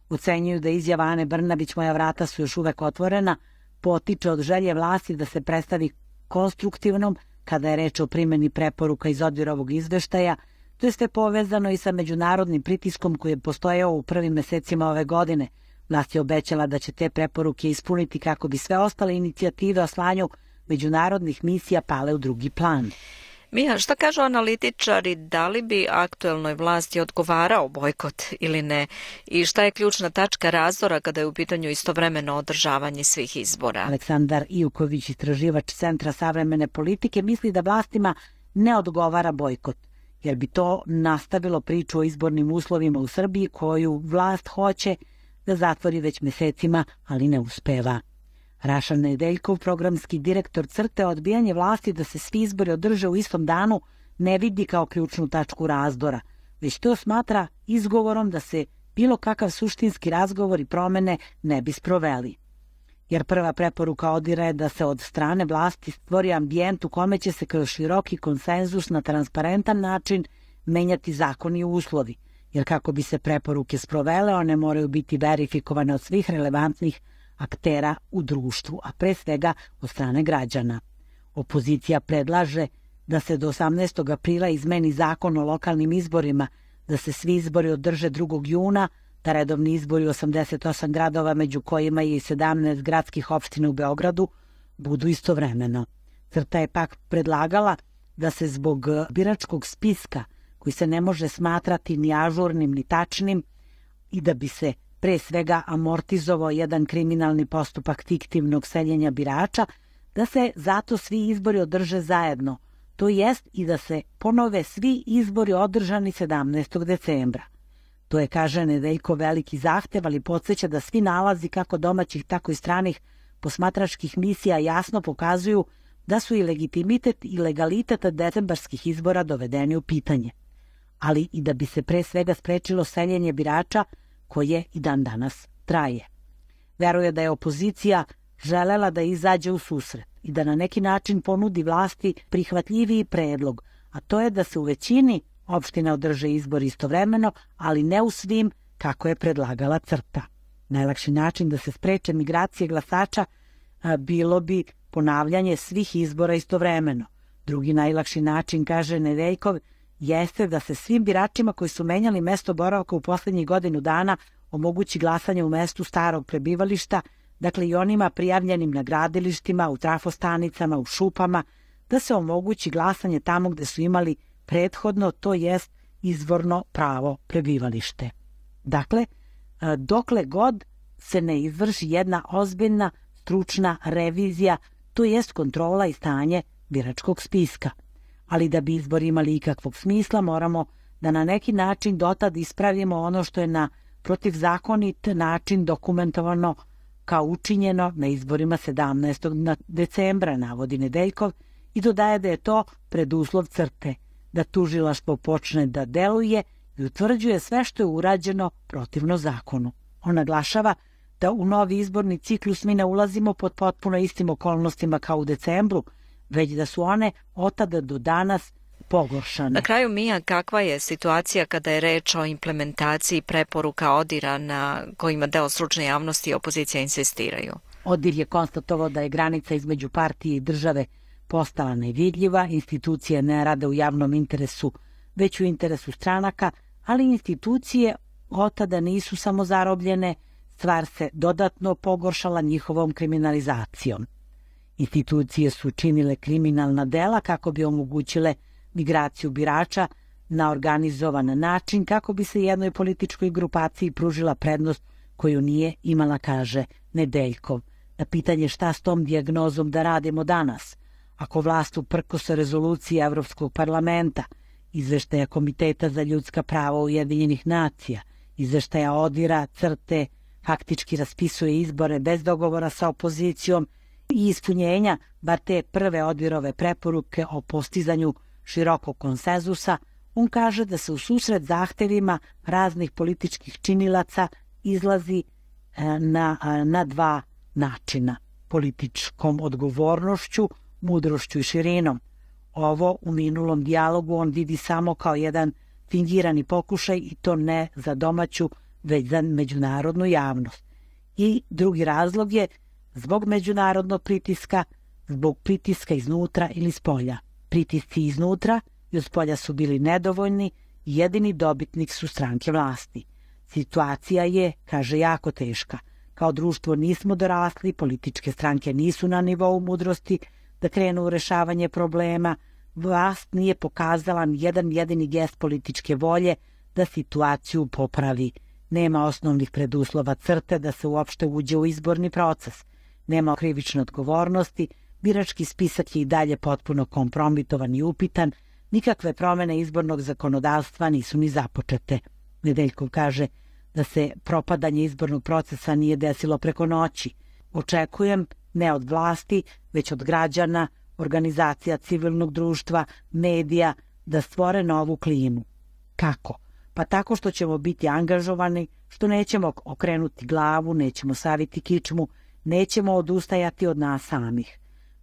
Ocenjuju da izjava Ane Brnabić "moja vrata su još uvek otvorena" potiče od želje vlasti da se predstavi konstruktivnom kada je reč o primjeni preporuka iz ODIHR-ovog izveštaja, to je sve povezano i sa međunarodnim pritiskom koji je postojao u prvim mesecima ove godine. Vlast je obećala da će te preporuke ispuniti kako bi sve ostale inicijative o slanju međunarodnih misija pale u drugi plan. Mija, šta kažu analitičari, da li bi aktuelnoj vlasti odgovarao bojkot ili ne? I šta je ključna tačka razdora kada je u pitanju istovremeno održavanje svih izbora? Aleksandar Ijuković, istraživač Centra savremene politike, misli da vlastima ne odgovara bojkot, jer bi to nastavilo priču o izbornim uslovima u Srbiji koju vlast hoće da zatvori već mesecima, ali ne uspeva. Rašan Nedeljkov, programski direktor CRTE, odbijanje vlasti da se svi izbori održe u istom danu ne vidi kao ključnu tačku razdora, već to smatra izgovorom da se bilo kakav suštinski razgovor i promene ne bi sproveli. Jer prva preporuka ODIHR-a je da se od strane vlasti stvori ambijent u kome će se kroz široki konsenzus na transparentan način menjati zakoni i uslovi, jer kako bi se preporuke sprovele, one moraju biti verifikovane od svih relevantnih aktera u društvu, a pre svega od strane građana. Opozicija predlaže da se do osamnaestog aprila izmeni zakon o lokalnim izborima, da se svi izbori održe drugog juna, da redovni izbori u osamdeset osam gradova, među kojima je i sedamnaest gradskih opština u Beogradu, budu istovremeno. CRTA je pak predlagala da se zbog biračkog spiska, koji se ne može smatrati ni ažurnim ni tačnim, i da bi se pre svega amortizovao jedan kriminalni postupak fiktivnog seljenja birača, da se zato svi izbori održe zajedno, to jest i da se ponove svi izbori održani sedamnaestog decembra. To je, kaže Nedeljko, veliki zahtev, ali podsjeća da svi nalazi kako domaćih, tako i stranih posmatračkih misija jasno pokazuju da su i legitimitet i legalitet decembarskih izbora dovedeni u pitanje. Ali i da bi se pre svega sprečilo seljenje birača koje i dan danas traje. Veruje da je opozicija želela da izađe u susret i da na neki način ponudi vlasti prihvatljiviji predlog, a to je da se u većini opština održe izbori istovremeno, ali ne u svim kako je predlagala CRTA. Najlakši način da se spreče migracije glasača bilo bi ponavljanje svih izbora istovremeno. Drugi najlakši način, kaže Nedeljkov, jeste da se svim biračima koji su menjali mesto boravka u poslednjih godinu dana omogući glasanje u mestu starog prebivališta, dakle i onima prijavljenim na gradilištima, u trafostanicama, u šupama, da se omogući glasanje tamo gde su imali prethodno, to jest izvorno pravo prebivalište. Dakle, dokle god se ne izvrši jedna ozbiljna stručna revizija, to jest kontrola i stanje biračkog spiska. Ali da bi izbori imali ikakvog smisla, moramo da na neki način dotad ispravimo ono što je na protivzakonit način dokumentovano kao učinjeno na izborima sedamnaestog decembra, navodi Nedeljkov, i dodaje da je to preduslov CRTE, da tužilaštvo počne da deluje i utvrđuje sve što je urađeno protivno zakonu. On naglašava da u novi izborni ciklus mi ne ulazimo pod potpuno istim okolnostima kao u decembru, već da su one od tada do danas pogoršane. Na kraju, Mija, kakva je situacija kada je reč o implementaciji preporuka ODIR-a na kojima deo stručne javnosti i opozicija insistiraju? ODIR je konstatovao da je granica između partije i države postala nevidljiva, institucije ne rade u javnom interesu, već u interesu stranaka, ali institucije od tada nisu samo zarobljene, stvar se dodatno pogoršala njihovom kriminalizacijom. Institucije su činile kriminalna dela kako bi omogućile migraciju birača na organizovan način, kako bi se jednoj političkoj grupaciji pružila prednost koju nije imala, kaže Nedeljkov. Na pitanje šta s tom dijagnozom da radimo danas, ako vlast uprkos rezolucije Evropskog parlamenta, izveštaja Komiteta za ljudska prava Ujedinjenih nacija, izveštaja ODIR-a, CRTE, faktički raspisuje izbore bez dogovora sa opozicijom i ispunjenja bar te prve ODIR-ove preporuke o postizanju širokog konsenzusa, on kaže da se u susret zahtevima raznih političkih činilaca izlazi na, na dva načina. Političkom odgovornošću, mudrošću i širinom. Ovo u minulom dijalogu on vidi samo kao jedan fingirani pokušaj i to ne za domaću, već za međunarodnu javnost. I drugi razlog je zbog međunarodnog pritiska, zbog pritiska iznutra ili spolja. Pritisci iznutra i od spolja su bili nedovoljni i jedini dobitnik su stranke vlasti. Situacija je, kaže, jako teška. Kao društvo nismo dorasli, političke stranke nisu na nivou mudrosti da krenu u rešavanje problema, vlast nije pokazala ni jedan jedini gest političke volje da situaciju popravi. Nema osnovnih preduslova CRTE da se uopšte uđe u izborni proces. Nema krivične odgovornosti, birački spisak je i dalje potpuno kompromitovan i upitan, nikakve promene izbornog zakonodavstva nisu ni započete. Nedeljkov kaže da se propadanje izbornog procesa nije desilo preko noći. Očekujem ne od vlasti, već od građana, organizacija civilnog društva, medija, da stvore novu klimu. Kako? Pa tako što ćemo biti angažovani, što nećemo okrenuti glavu, nećemo saviti kičmu, nećemo odustajati od nas samih.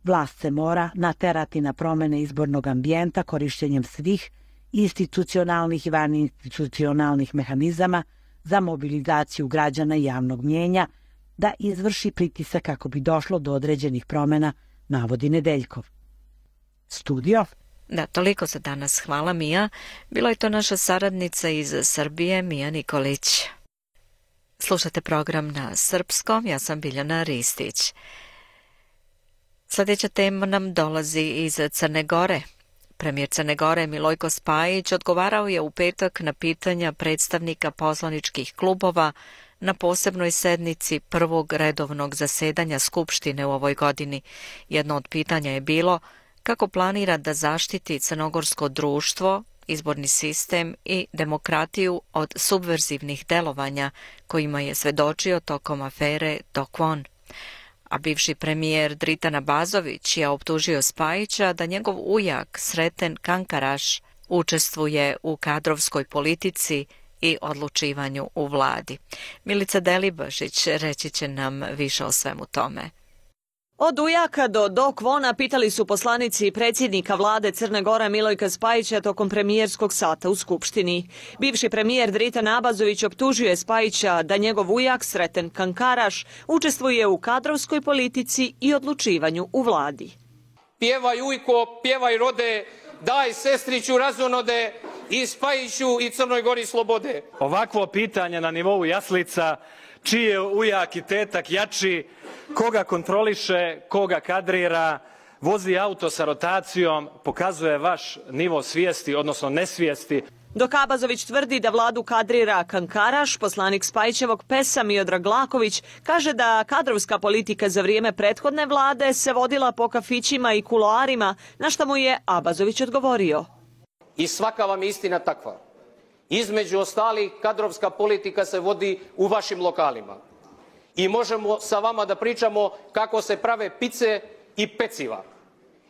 Vlast se mora naterati na promene izbornog ambijenta korišćenjem svih institucionalnih i vaninstitucionalnih mehanizama za mobilizaciju građana i javnog mnjenja, da izvrši pritisak kako bi došlo do određenih promena, navodi Nedeljkov. Studio? Da, toliko za danas. Hvala, Mija. Bila je to naša saradnica iz Srbije, Mija Nikolić. Slušate program na srpskom, ja sam Biljana Ristić. Sljedeća tema nam dolazi iz Crne Gore. Premijer Crne Gore Milojko Spajić odgovarao je u petak na pitanja predstavnika poslaničkih klubova na posebnoj sednici prvog redovnog zasedanja Skupštine u ovoj godini. Jedno od pitanja je bilo kako planira da zaštiti crnogorsko društvo, izborni sistem i demokratiju od subverzivnih delovanja kojima je svedočio tokom afere Dokvon. A bivši premijer Dritan Abazović je optužio Spajića da njegov ujak Sreten Kankaraš učestvuje u kadrovskoj politici i odlučivanju u vladi. Milica Delibašić reći će nam više o svemu tome. Od ujaka do Dokvona pitali su poslanici predsjednika vlade Crne Gore Milojka Spajića tokom premijerskog sata u Skupštini. Bivši premijer Dritan Abazović optužuje Spajića da njegov ujak Sreten Kankaraš učestvuje u kadrovskoj politici i odlučivanju u vladi. Pjevaj ujko, pjevaj rode, daj sestriću razonode i Spajiću i Crnoj Gori slobode. Ovakvo pitanje na nivou jaslica, čiji je ujak i tetak jači, koga kontroliše, koga kadrira, vozi auto sa rotacijom, pokazuje vaš nivo svijesti, odnosno nesvijesti. Dok Abazović tvrdi da vladu kadrira Kankaraš, poslanik Spajićevog pesa Miodrag Laković kaže da kadrovska politika za vrijeme prethodne vlade se vodila po kafićima i kuloarima, na što mu je Abazović odgovorio. I svaka vam je istina takva. Između ostalih, kadrovska politika se vodi u vašim lokalima. i možemo sa vama da pričamo kako se prave pice i peciva.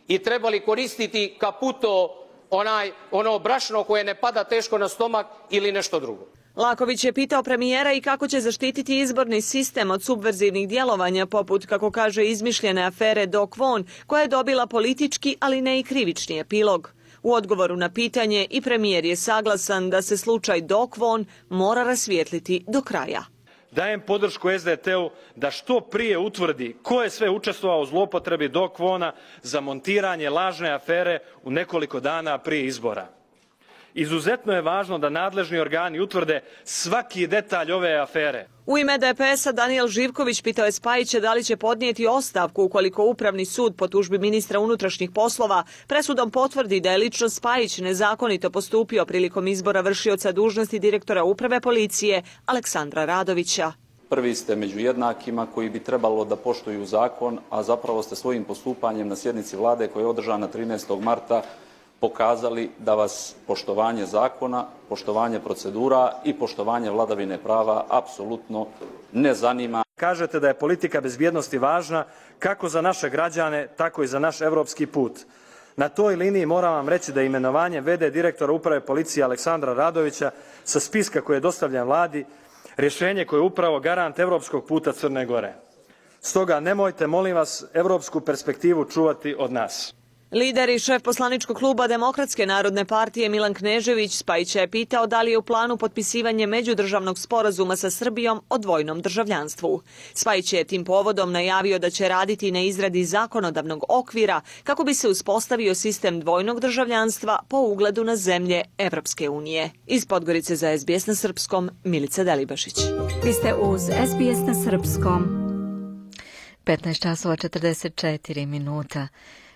I trebali koristiti kaputo, onaj, ono brašno koje ne pada teško na stomak ili nešto drugo. Laković je pitao premijera i kako će zaštititi izborni sistem od subverzivnih djelovanja, poput, kako kaže, izmišljene afere Doc Von, koja je dobila politički, ali ne i krivični epilog. U odgovoru na pitanje i premijer je saglasan da se slučaj Doc Von mora rasvijetliti do kraja. Dajem podršku S D T-u da što prije utvrdi ko je sve učestvovao u zloupotrebi Doc Vona za montiranje lažne afere u nekoliko dana prije izbora. Izuzetno je važno da nadležni organi utvrde svaki detalj ove afere. U ime D P S-a Danijel Živković pitao je Spajića da li će podnijeti ostavku ukoliko Upravni sud po tužbi ministra unutrašnjih poslova presudom potvrdi da je lično Spajić nezakonito postupio prilikom izbora vršioca dužnosti direktora uprave policije Aleksandra Radovića. Prvi ste među jednakima koji bi trebalo da poštuju zakon, a zapravo ste svojim postupanjem na sjednici vlade koja je održana trinaestog marta pokazali da vas poštovanje zakona, poštovanje procedura i poštovanje vladavine prava apsolutno ne zanima. Kažete da je politika bezbjednosti važna kako za naše građane, tako i za naš evropski put. Na toj liniji moram vam reći da je imenovanje v d direktora uprave policije Aleksandra Radovića sa spiska koji je dostavljen vladi rješenje koje je upravo garant evropskog puta Crne Gore. Stoga nemojte, molim vas, evropsku perspektivu čuvati od nas. Lider i šef poslaničkog kluba Demokratske narodne partije Milan Knežević Spajića je pitao da li je u planu potpisivanje međudržavnog sporazuma sa Srbijom o dvojnom državljanstvu. Spajić je tim povodom najavio da će raditi na izradi zakonodavnog okvira kako bi se uspostavio sistem dvojnog državljanstva po ugledu na zemlje Evropske unije. Iz Podgorice za S B S na srpskom, Milica Delibašić. Vi ste uz S B S na srpskom. petnaest časova četrdeset četiri minuta.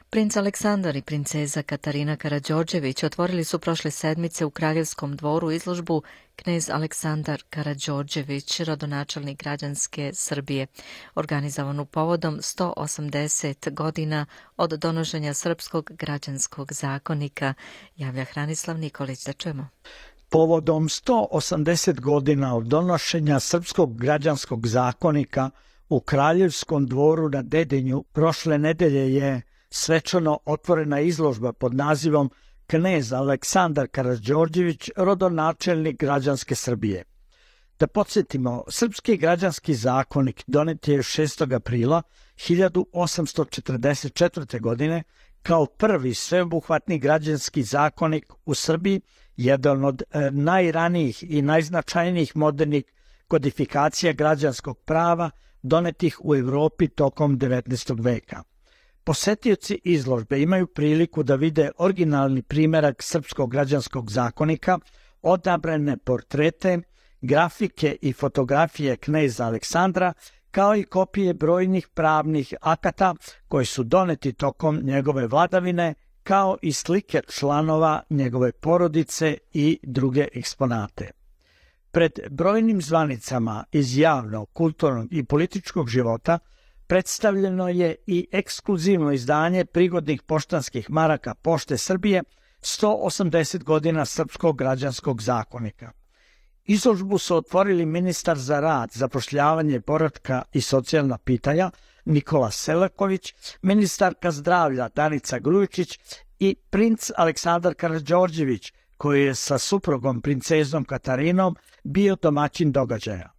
Princ Aleksandar i princeza Katarina Karađorđević otvorili su prošle sedmice u Kraljevskom dvoru izložbu Knez Aleksandar Karađorđević, rodonačelnik građanske Srbije, organizovanu povodom sto osamdeset godina od donošenja Srpskog građanskog zakonika, javlja Hranislav Nikolić. Da čujemo. Povodom sto osamdeset godina od donošenja Srpskog građanskog zakonika u Kraljevskom dvoru na Dedinju prošle nedelje je svečano otvorena izložba pod nazivom Knez Aleksandar Karađorđević, rodonačelnik građanske Srbije. Da podsjetimo, Srpski građanski zakonik donet je šestog aprila hiljadu osamsto četrdeset četvrte. godine kao prvi sveobuhvatni građanski zakonik u Srbiji, jedan od najranijih i najznačajnijih modernih kodifikacija građanskog prava donetih u Evropi tokom devetnaestog veka. Posetioci izložbe imaju priliku da vide originalni primjerak Srpskog građanskog zakonika, odabrane portrete, grafike i fotografije kneza Aleksandra, kao i kopije brojnih pravnih akata koji su doneti tokom njegove vladavine, kao i slike članova njegove porodice i druge eksponate. Pred brojnim zvanicama iz javnog, kulturnog i političkog života predstavljeno je i ekskluzivno izdanje prigodnih poštanskih maraka Pošte Srbije sto osamdeset godina Srpskog građanskog zakonika. Izložbu su otvorili ministar za rad, zapošljavanje, boračka i socijalna pitanja Nikola Selaković, ministarka zdravlja Danica Grujičić i princ Aleksandar Karađorđević, koji je sa suprugom princezom Katarinom bio domaćin događaja.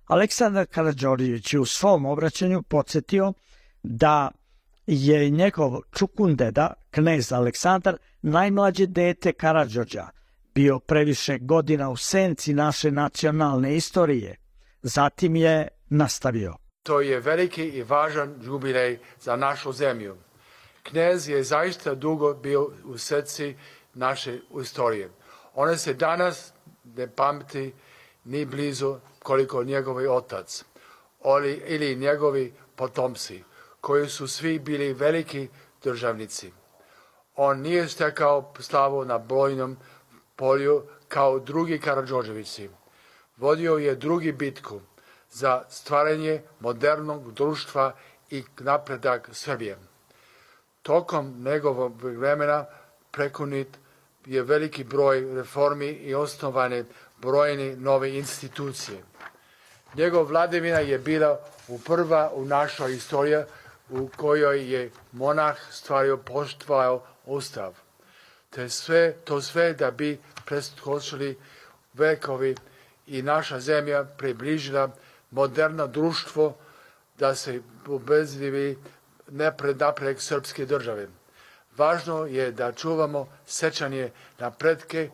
Aleksandar Karađorđević je u svom obraćanju podsjetio da je njegov čukundeda, knez Aleksandar, najmlađe dete Karađorđa, bio previše godina u senci naše nacionalne istorije. Zatim je nastavio. To je veliki i važan jubilej za našu zemlju. Knez je zaista dugo bio u srci naše istorije. Ona se danas ne pamti ni blizu koliko njegovi otac oli, ili njegovi potomci, koji su svi bili veliki državnici. On nije stekao slavu na bojnom polju kao drugi Karađorđevići. Vodio je drugi bitku za stvaranje modernog društva i napredak Srbije. Tokom njegovog vremena prekonit je veliki broj reformi i osnovane brojne nove institucije. Njegov vladavina je bila u prva u našoj istoriji u kojoj je monah stvario, poštovao ustav. Te sve, to sve da bi preskočili vekovi i naša zemlja približila moderno društvo da se obezdivi nepred napred srpske države. Važno je da čuvamo sećanje na pretke,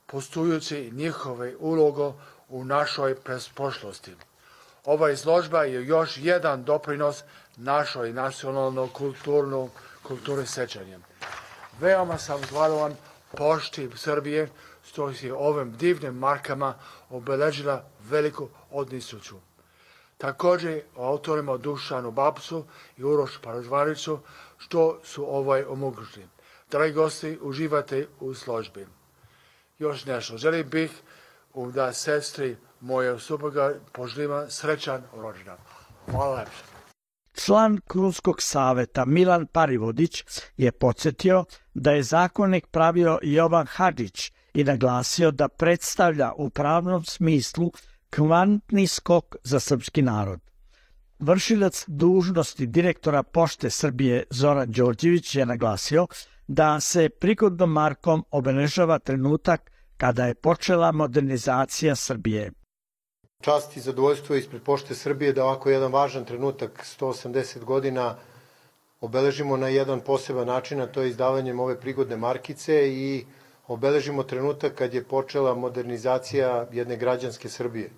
poštujući njihove ulogo u našoj prošlosti. Ova izložba je još jedan doprinos našoj nacionalno kulturno kulture sećanja. Veoma sam zahvalan pošti Srbije što je ovim divnim markama obeležila veliku odnisuću. Također autorima Dušanu Babsu i Uroš Paražvaniću što su ovaj omogućili. Dragi gosti, uživate u izložbi. Još nešto, želim bih da sestri moje supruga poželim srećan rođendan. Hvala lepše. Član Krunskog saveta Milan Parivodić je podsjetio da je zakonik pravio Jovan Hadžić i naglasio da predstavlja u pravnom smislu kvantni skok za srpski narod. Vršilac dužnosti direktora Pošte Srbije Zoran Đorđević je naglasio da se prigodnom markom obeležava trenutak kada je počela modernizacija Srbije. Čast i zadovoljstvo ispred Pošte Srbije da ovako jedan važan trenutak, sto osamdeset godina, obeležimo na jedan poseban način, a to je izdavanjem ove prigodne markice i obeležimo trenutak kad je počela modernizacija jedne građanske Srbije.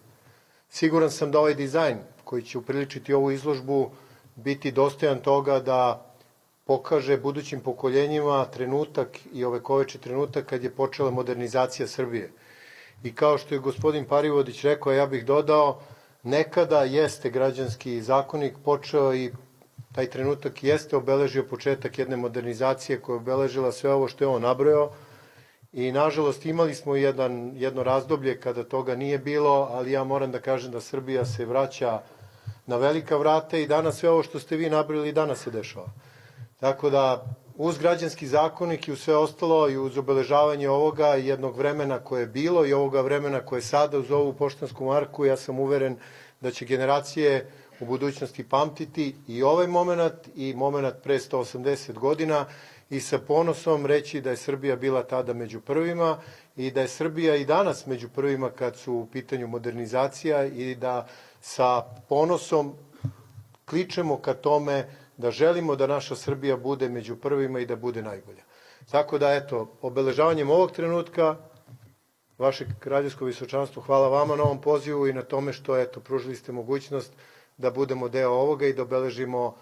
Siguran sam da ovaj dizajn koji će upriličiti ovu izložbu biti dostojan toga da pokaže budućim pokoljenjima trenutak i ovekoveči trenutak kad je počela modernizacija Srbije. I kao što je gospodin Parivodić rekao, ja bih dodao, nekada jeste građanski zakonik počeo i taj trenutak jeste obeležio početak jedne modernizacije koja je obeležila sve ovo što je on nabrojao i nažalost imali smo jedan, jedno razdoblje kada toga nije bilo, ali ja moram da kažem da Srbija se vraća na velika vrata i danas sve ovo što ste vi nabrojali danas se dešava. Tako da uz građanski zakonik i uz sve ostalo i uz obeležavanje ovoga jednog vremena koje je bilo i ovoga vremena koje je sada uz ovu poštansku marku, ja sam uveren da će generacije u budućnosti pamtiti i ovaj moment i moment pre sto osamdeset godina i sa ponosom reći da je Srbija bila tada među prvima i da je Srbija i danas među prvima kad su u pitanju modernizacija i da sa ponosom kličemo ka tome da želimo da naša Srbija bude među prvima i da bude najbolja. Tako da, eto, obeležavanjem ovog trenutka, vaše kraljevsko visočanstvo, hvala vama na ovom pozivu i na tome što, eto, pružili ste mogućnost da budemo deo ovoga i da obeležimo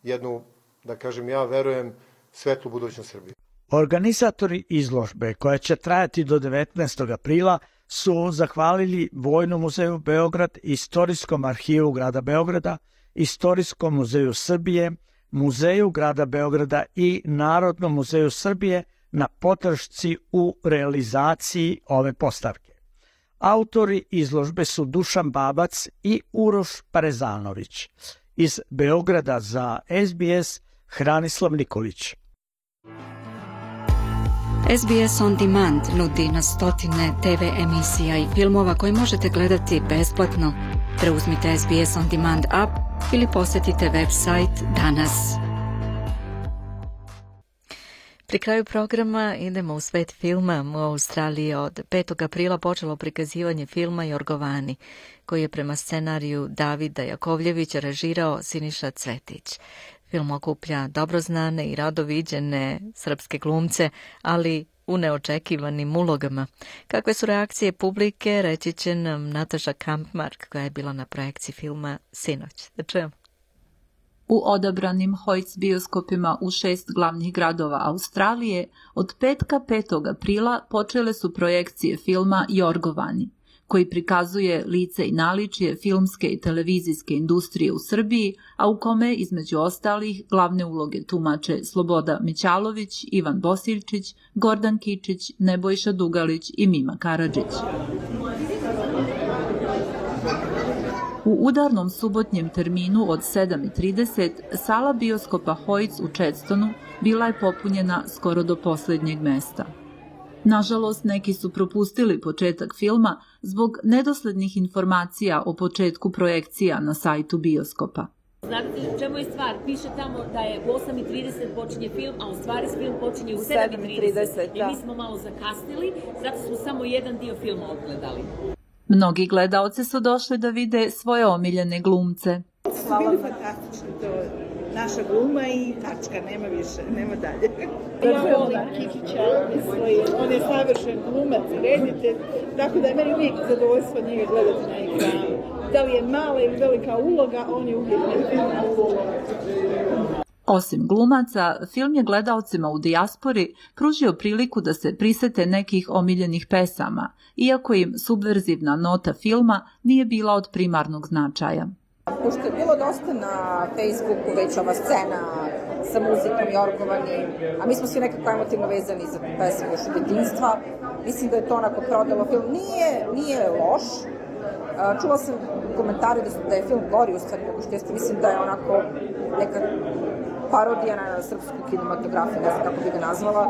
jednu, da kažem ja, verujem, svetlu budućnost Srbije. Organizatori izložbe, koja će trajati do devetnaestog aprila, su zahvalili Vojnom muzeju Beograd, Istorijskom arhivu grada Beograda, Istorijskom muzeju Srbije, Muzeju grada Beograda i Narodnom muzeju Srbije na podršci u realizaciji ove postavke. Autori izložbe su Dušan Babac i Uroš Parezanović. Iz Beograda za S B S Hranislav Nikolić. S B S On Demand nudi na stotine T V emisija i filmova koje možete gledati besplatno. Preuzmite S B S On Demand app ili posjetite website danas. Pri kraju programa idemo u svet filma. U Australiji od petog aprila počelo prikazivanje filma Jorgovani, koji je prema scenariju Davida Jakovljevića režirao Siniša Cvetić. Film okuplja dobro znane i rado viđene srpske glumce, ali u neočekivanim ulogama. Kakve su reakcije publike, reći će nam Nataša Kampmark, koja je bila na projekciji filma sinoć. Da čujemo. U odabranim Hoyts bioskopima u šest glavnih gradova Australije od petka petog aprila počele su projekcije filma Jorgovani, koji prikazuje lice i naličje filmske i televizijske industrije u Srbiji, a u kome, između ostalih, glavne uloge tumače Sloboda Mićalović, Ivan Bosiljčić, Gordan Kičić, Nebojša Dugalić i Mima Karadžić. U udarnom subotnjem terminu od sedam i trideset sala bioskopa Hoyts u Chadstonu bila je popunjena skoro do poslednjeg mesta. Nažalost, neki su propustili početak filma zbog nedoslednih informacija o početku projekcija na sajtu bioskopa. Znate čemu je stvar? Piše tamo da je u osam i trideset počinje film, a u stvari film počinje u sedam i trideset. I mi smo malo zakasnili, zato smo samo jedan dio filma odgledali. Mnogi gledaoci su došli da vide svoje omiljene glumce. Hvala. Bili fantastični, to je naša gluma i tačka, nema više, nema dalje. Ja volim Kikića, on je savršen glumac, reditelj, tako da je meni uvijek zadovoljstvo njega gledati na ekranu. Da li je mala ili velika uloga, on je uvijek na ulogu. Osim glumaca, film je gledaocima u dijaspori pružio priliku da se prisete nekih omiljenih pesama, iako im subverzivna nota filma nije bila od primarnog značaja. Pošto je bilo dosta na Facebooku već ova scena sa muzikom i orgovanim, a mi smo svi nekako emotivno vezani za pesmu još od djetinjstva, mislim da je to onako prodalo film. Nije, nije loš. Čula sam komentare da, su, da je film gori u stvari nego što jeste. Mislim da je onako neka parodija na srpsku kinematografiju, ne znam kako bi ga nazvala,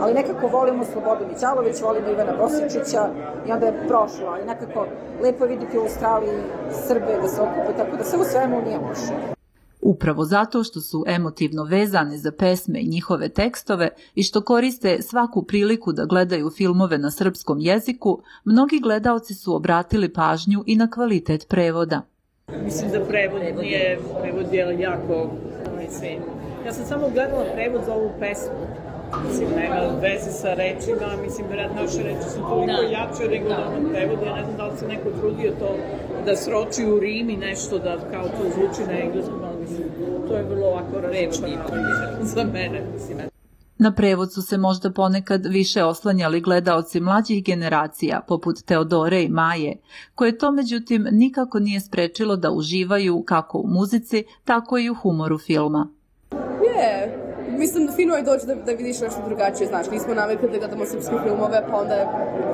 ali nekako volimo Slobodu Mićalović, volimo Ivana Bosičića i onda je prošlo, ali nekako lepo je vidjeti u Australiji Srbe da se okupe, tako da sve u svemu nije loše. Upravo zato što su emotivno vezane za pesme i njihove tekstove i što koriste svaku priliku da gledaju filmove na srpskom jeziku, mnogi gledaoci su obratili pažnju i na kvalitet prevoda. Mislim da prevod nije, prevod je jako, mislim, ja sam samo gledala prevod za ovu pesmu. Mislim, nema veze sa rečima, mislim, vjerojatno naše reči su toliko jače nego da ono prevod. Ja ne znam da li se neko trudio to da sroči u Rim i nešto da kao to zvuči na engleskom, ali mislim, to je vrlo ovako razočarano za mene, mislim. Na prevod su se možda ponekad više oslanjali gledaoci mlađih generacija, poput Teodore i Maje, koje to međutim nikako nije sprečilo da uživaju kako u muzici, tako i u humoru filma. Je, mislim da fino je doći da, da vidiš nešto drugačije, znaš, nismo navikli da gledamo srpske filmove, pa onda je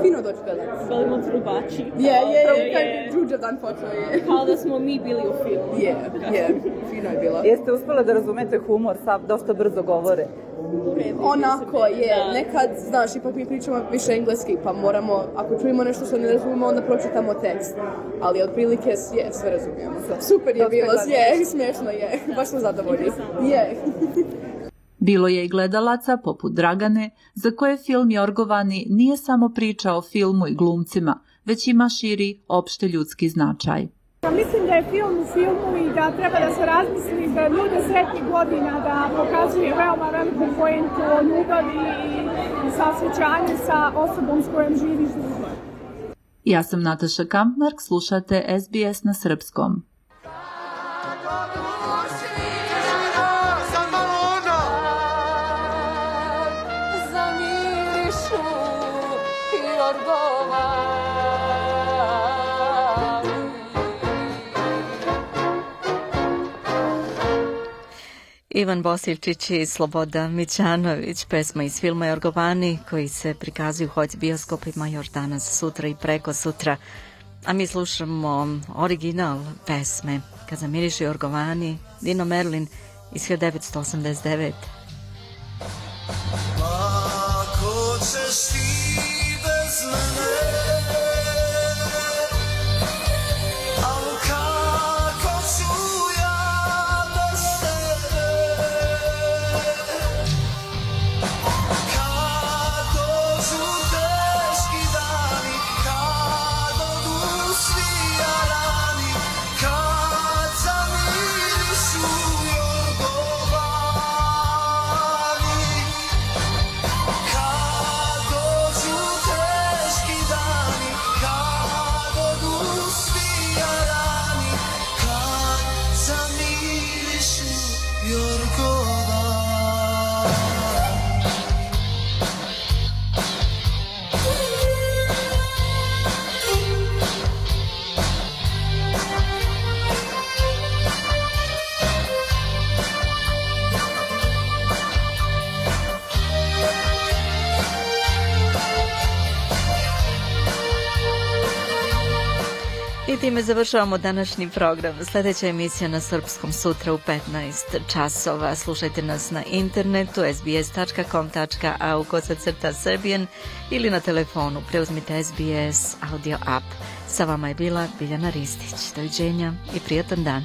fino doći gledati. Volimo trubači. Je, je, je, je. Đuđa dan počeo je. Kao da smo mi bili u filmu. Je, je, fino je bilo. Jeste uspjeli da razumete humor, sad dosta brzo govore. Onako je, nekad, znaš, ipak mi pričamo više engleski, pa moramo, ako čujemo nešto što ne razumemo, onda pročitamo tekst. Ali otprilike je, sve razumijemo. Super je bilo, je, smiješno je, baš smo zadovoljni. Je. Bilo je i gledalaca, poput Dragane, za koje film Jorgovani nije samo priča o filmu i glumcima, već ima širi opšte ljudski značaj. Mislim da je film u filmu i da treba da se razmisli za ljude sretnih godina, da pokazuje veoma veliku pojentu o ljubavi i saosjećanju sa osobom s kojom živiš. Ja sam Nataša Kampmark, slušate S B S na srpskom. Ivan Bosiljčić i Sloboda Mićanović, pesma iz filma Jorgovani koji se prikazuju hoć bioskopima još danas, sutra i preko sutra. A mi slušamo original pesme Kad zamiriše Jorgovani, Dino Merlin iz hiljadu devetsto osamdeset devete. Ako ćeš ti bez mene, al kako ću ja bez tebe, kad dođu teški dani, kad odu svi jarani, kad zamirišu Jorgovani. I time završavamo današnji program. Sljedeća emisija na srpskom sutra u petnaest časova. Slušajte nas na internetu sbs tačka com tačka a u kosacrta Serbian ili na telefonu. Preuzmite S B S audio app. Sa vama je bila Biljana Ristić. Doviđenja i prijatan dan.